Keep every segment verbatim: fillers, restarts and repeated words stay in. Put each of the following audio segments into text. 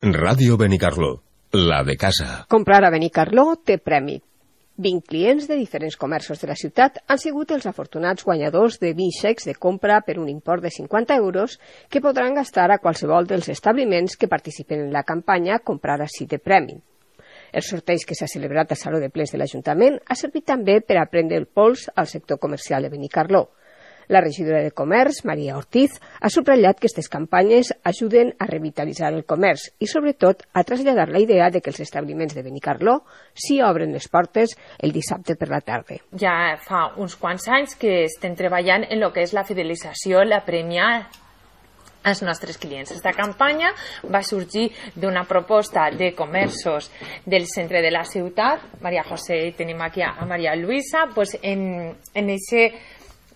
Ràdio Benicarló, la de casa. Comprar a Benicarló té premi. vint clients de diferents comerços de la ciutat han sigut els afortunats guanyadors de vint xecs de compra per un import de cinquanta euros que podran gastar a qualsevol dels establiments que participen en la campanya Comprar ací de premi. El sorteig que s'ha celebrat al Saló de Plens de l'Ajuntament ha servit també per a prendre el pols al sector comercial de Benicarló. La regidora de Comerç, Maria Ortiz, ha subratllat que aquestes campanyes ajuden a revitalitzar el comerç i, sobretot, a traslladar la idea de que els establiments de Benicarló sí obren les portes el dissabte per la tarda. Ja fa uns quants anys que estem treballant en el que és la fidelització, la premia als nostres clients. Aquesta campanya va sorgir d'una proposta de comerços del centre de la ciutat. Maria José, tenim aquí a Maria Luisa, pues en, en ese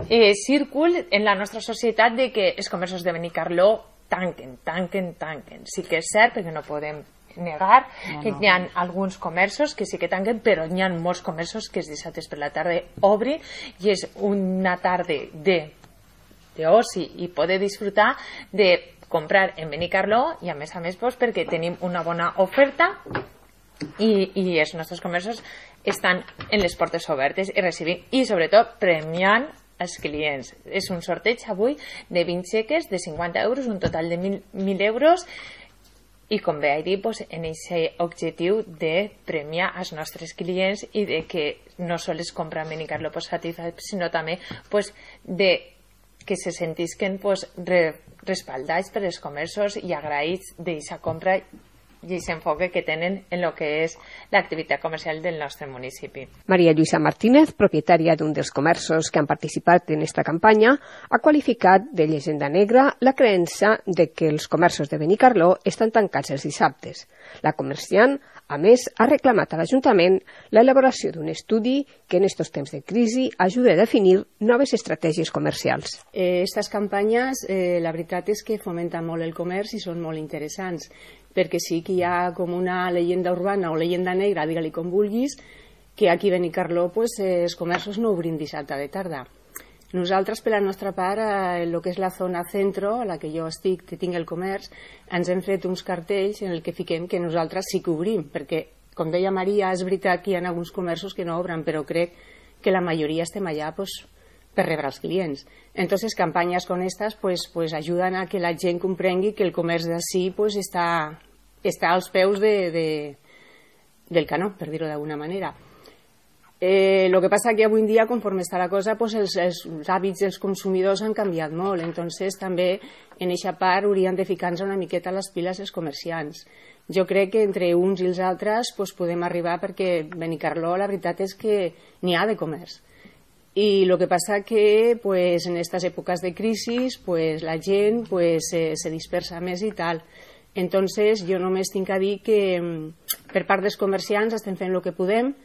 Eh, círcul en la nostra societat de que els comerços de Benicarló tanquen, tanquen, tanquen. Sí que és cert, perquè no podem negar no, que no. Hi ha alguns comerços que sí que tanquen, però hi ha molts comerços que els dissabtes per la tarda obrin i és una tarda de d'oci i poder disfrutar de comprar en Benicarló i a més a més pues, perquè tenim una bona oferta i, i els nostres comerços estan en les portes obertes i recibint i sobretot premiant els clients. És un sorteig avui de vint xeques de cinquanta euros, un total de mil euros i com bé he dit, pues, en aquest objectiu de premiar els nostres clients i de que no sols compren Benicarló per satisfer, sinó també pues, de que se sentisquen pues, re, respaldats per els comerços i agraïts d'aquesta compra i aquest enfoque que tenen en el que és l'activitat comercial del nostre municipi. Maria Lluïsa Martínez, propietària d'un dels comerços que han participat en aquesta campanya, ha qualificat de llegenda negra la creença de que els comerços de Benicarló estan tancats els dissabtes. La comerciant, a més, ha reclamat a l'Ajuntament l'elaboració d'un estudi que en aquests temps de crisi ajuda a definir noves estratègies comercials. Aquestes eh, campanyes, eh, la veritat és que fomenten molt el comerç i són molt interessants, perquè sí que hi ha com una llegenda urbana o llegenda negra, digue-li com vulguis, que aquí a Benicarló pues, eh, els comerços no obrin dissabte de tarda. Nosaltres, per la nostra part, en el que és la zona centro, a la que jo estic, que tinc el comerç, ens hem fet uns cartells en el que fiquem que nosaltres sí que obrim, perquè, com deia Maria, és veritat que hi ha alguns comerços que no obren, però crec que la majoria estem allà pues, per rebre els clients. Entonces, campanyes com aquestes pues, pues, ajuden a que la gent comprengui que el comerç d'ací pues, està, està als peus de, de, del canó, per dir-ho d'alguna manera. Eh, lo que passa que avui en dia, conforme està la cosa, pues els, els hàbits dels consumidors han canviat molt, entonces també en aquesta part haurien de ficar-nos una miqueta a les piles els comerciants. Jo crec que entre uns i els altres pues, podem arribar perquè Benicarló la veritat és que n'hi ha de comerç. I el que passa que pues, en aquestes èpoques de crisi pues, la gent pues, se, se dispersa més i tal. Entonces jo només tinc a dir que per part dels comerciants estem fent el que podem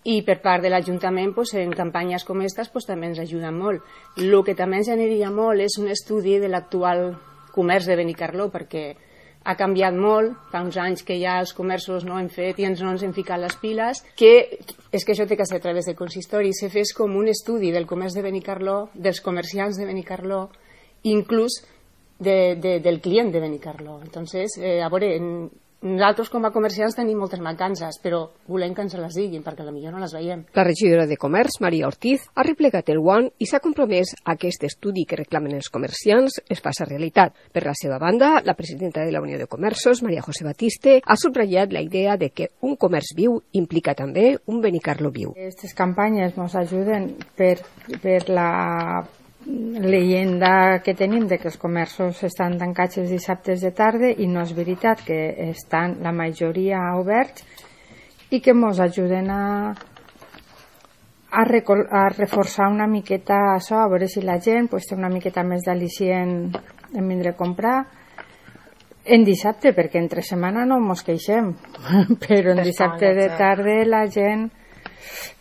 i per part de l'Ajuntament pues, en campanyes com aquestes pues, també ens ajuden molt. El que també ens aniria molt és un estudi de l'actual comerç de Benicarló perquè ha canviat molt, fa uns anys que ja els comerços no hem fet i ens no ens hem ficat les piles, que és que això té que ser a través del consistori, se fes com un estudi del comerç de Benicarló, dels comerciants de Benicarló, inclús de, de, del client de Benicarló. Entonces, eh, a veure, en, nosaltres com a comerciants tenim moltes mancances, però volem que ens les diguin, perquè potser no les veiem. La regidora de Comerç, Maria Ortiz, ha replegat el guant i s'ha compromès a que aquest estudi que reclamen els comerciants es faci realitat. Per la seva banda, la presidenta de la Unió de Comerços, Maria José Batiste, ha subratllat la idea de que un comerç viu implica també un Benicarló viu. Aquestes campanyes ens ajuden per, per la leyenda que tenim de que els comerços estan tancats els dissabtes de tarda i no és veritat que estan la majoria oberts i que ens ajuden a, a, recol, a reforçar una miqueta això, a veure si la gent pues, té una miqueta més d'al·licient en vindre a comprar en dissabte, perquè entre setmana no ens queixem, però en dissabte de tarda la gent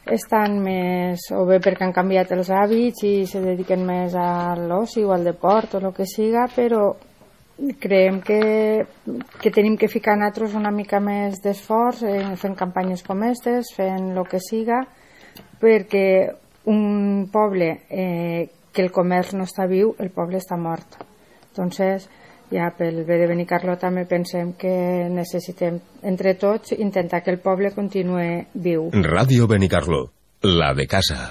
estan més, o bé perquè han canviat els hàbits i se dediquen més a l'oci o al deport o el que siga, però creiem que, que tenim que ficar nosaltres una mica més d'esforç eh, fent campanyes com aquestes, fent el que siga, perquè un poble eh, que el comerç no està viu, el poble està mort. Entonces, ja pel bé de Benicarló també pensem que necessitem entre tots intentar que el poble continuï viu. Ràdio Benicarló, la de casa.